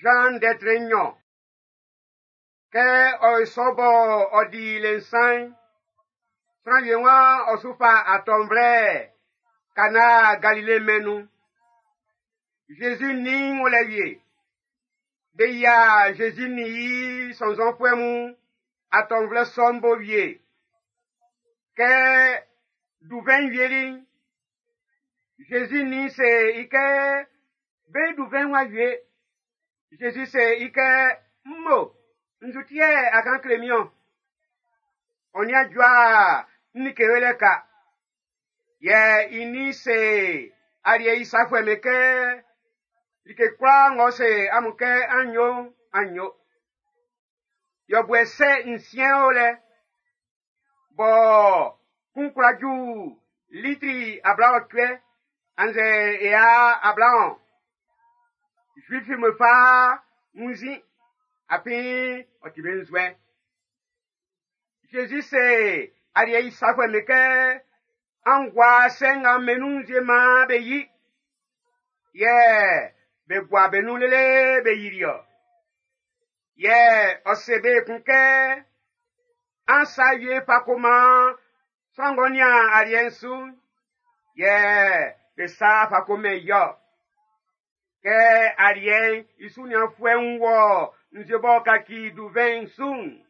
Zan ndɛ tre nɲɔn. Kɛ ɔ sɔ bɔ ɔ di le nsan'n, sran wie waan ɔ su fa atɔnvlɛ Kana Galile mɛn'n nun. Zezi nin o lɛ wie. Be yia Zezi nin i sɔnnzɔnfuɛ mun atɔnvlɛ sɔ'n bo wie. Kɛ duvɛn'n wieli'n, Zezi nin se i kɛ be duvɛn'n w'a wie. Zezi se i kɛ, mmo, nzu ti yɛ a kan kle min-ɔn? Ɔ nin a jua n like yolɛ ka. Yɛ i nin se aliɛ i safuɛ'm be kɛ, like kwlaa ng'ɔ se amun kɛ an yo'n, an yo. Yɔbuɛ sɛ nsiɛn o lɛ, bɔ kun kwla ju litri 28 annzɛ ea 20. Zuifu'm be fa wunnzin, afin ɔ ti be nzuɛn. Zezi se aliɛ i safuɛ'm be kɛ, an gua sɛ nga be nun nzue maan be yi. Yɛ be gua be nun lele be yili-ɔ. Yɛ ɔ se be ekun kɛ, an sa wie fa ko man sran ng'ɔ nian aliɛ'n su'n. Yɛ be sa fa ko mɛn i-ɔ. Kɛ aliɛ'n i su nianfuɛ'n wɔ nzue b'ɔ kaci duvɛn'n su'n,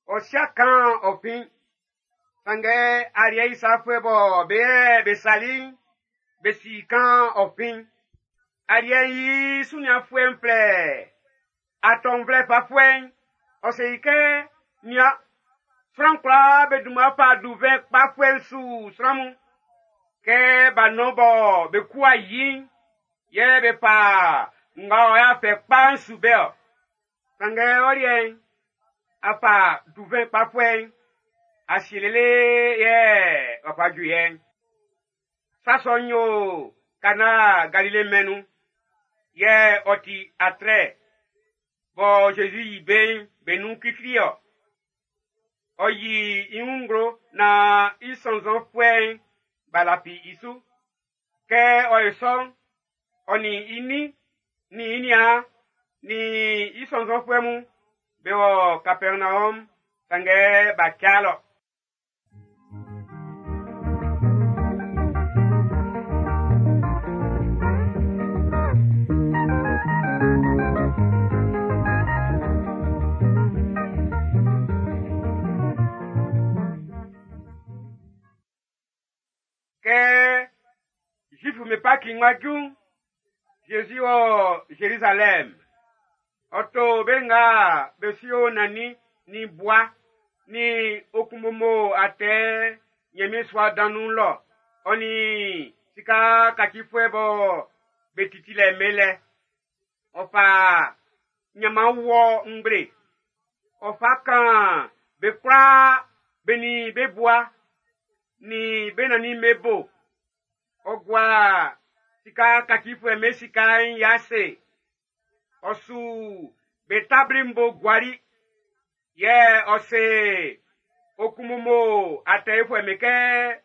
ɔ sia kan ɔ fin. Sanngɛ aliɛ i safuɛ bɔ be yɛ be sali'n, be si kan ɔ fin. Aliɛ'n i su nianfuɛ'n flɛ atɔnvlɛ fafuɛ'n, ɔ se i kɛ, nian, sran kwlaa be dunman fa duvɛn kpafuɛ'n su sran mun. Kɛ b'a nɔn bɔ be ku a yi'n, yɛ be fa nga ɔ y'a fɛ kpa'n su be-ɔ. Sanngɛ ɔ liɛ'n, a fa duvɛn kpafuɛ'n, a sie lele yɛ ɔ fa ju yɛ'n. Sa sɔ'n yo Kana Galile mɛn'n nun, yɛ ɔ ti atrɛ bɔ Zezi yi be'n be nun klikli-ɔ. Ɔ yi i wun nglo naan i sɔnnzɔnfuɛ'n b'a lafi i su. Kɛ ɔ yo sɔ'n, ɔ nin i nin, nin i niaan, nin i sɔnnzɔnfuɛ mun be wɔ Kapɛrnaɔm, sanngɛ b'a ca lɔ. Kɛ Zuifu'm be Paki'n wá jú'n, Zezi wɔ Zerizalɛm. Ɔ to be nga be sio nannin nin bua nin okunmomo atɛ Ɲanmiɛn sua dan nun lɔ, ɔ nin sika kacifuɛ bɔ be titi lɛ mɛn lɛ. Ɔ fa ɲanman wɔ ngble. Ɔ fa kan be kwlaa be nin be bua nin be nannin'm be bo. Ɔ gua sika kacifuɛ'm be sika'n i ase. Ɔ su be tabli'm bo guali. Yɛ ɔ se okunmomo atɛfuɛ'm be kɛ,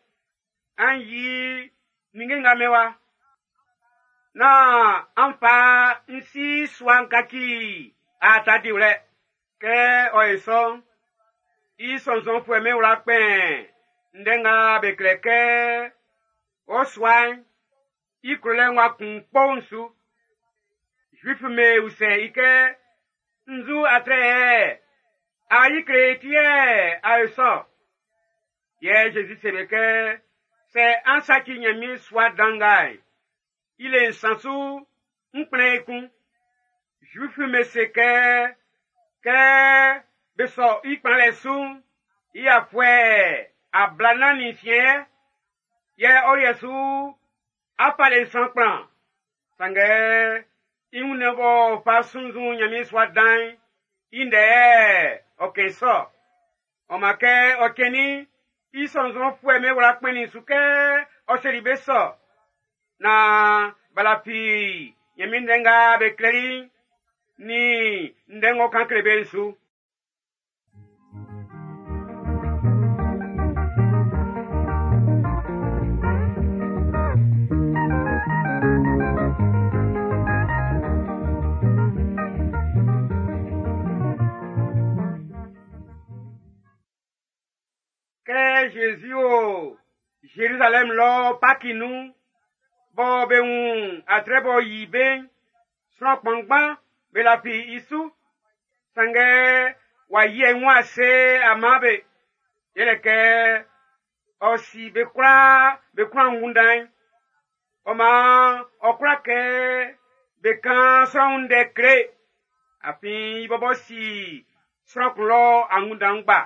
an yi ninnge nga mɛn wa. Nán an fa n si sua'n kaci aata diwlɛ. Kɛ ɔ ye sɔ'n, i sɔnnzɔnfuɛ'm be wla kpɛn ndɛ nga be klɛ kɛ ɔ sua'n i klolɛ'n w'a kun kpo'n su. Zuifu'm be usɛ i kɛ, nzu atrɛ yɛ a yi kle ti yɛ a yo sɔ. Yɛ Zezi se be kɛ, sɛ an saci Ɲanmiɛn sua dan nga'n, i le nsan su n kplɛn ekun. Zuifu'm be se kɛ, kɛ be sɔ i kplanlɛ su'n, i afuɛ 46 yɛ, yɛ ɔ liɛ su a fa le nsan kplan. Sanngɛ i wunnɛn b'ɔ fa sunnzun Ɲanmiɛn sua dan'n, i ndɛ yɛ ɔ kɛn sɔ. Ɔ man kɛ ɔ cɛnnin'n, i sɔnnzɔnfuɛ'm be wla kpɛnnin su kɛ ɔ seli be sɔ. Naan b'a lafi Ɲanmiɛn ndɛ nga be klɛli'n nin ndɛ ng'ɔ kan kle be'n su. Zezi o Zerizalɛm lɔ Paki nun, bɔ be wun atrɛ b'ɔ yi be'n, sran kpanngban be lafi i su. Sanngɛ w'a yi i wun ase a man be. Yɛlɛ kɛ ɔ si be kwlaa be klun angunndan'n. Ɔ maan ɔ kwla kɛ be kan sran wun ndɛ kle. Afin i bɔbɔ si sran kun lɔ angunndan ngba.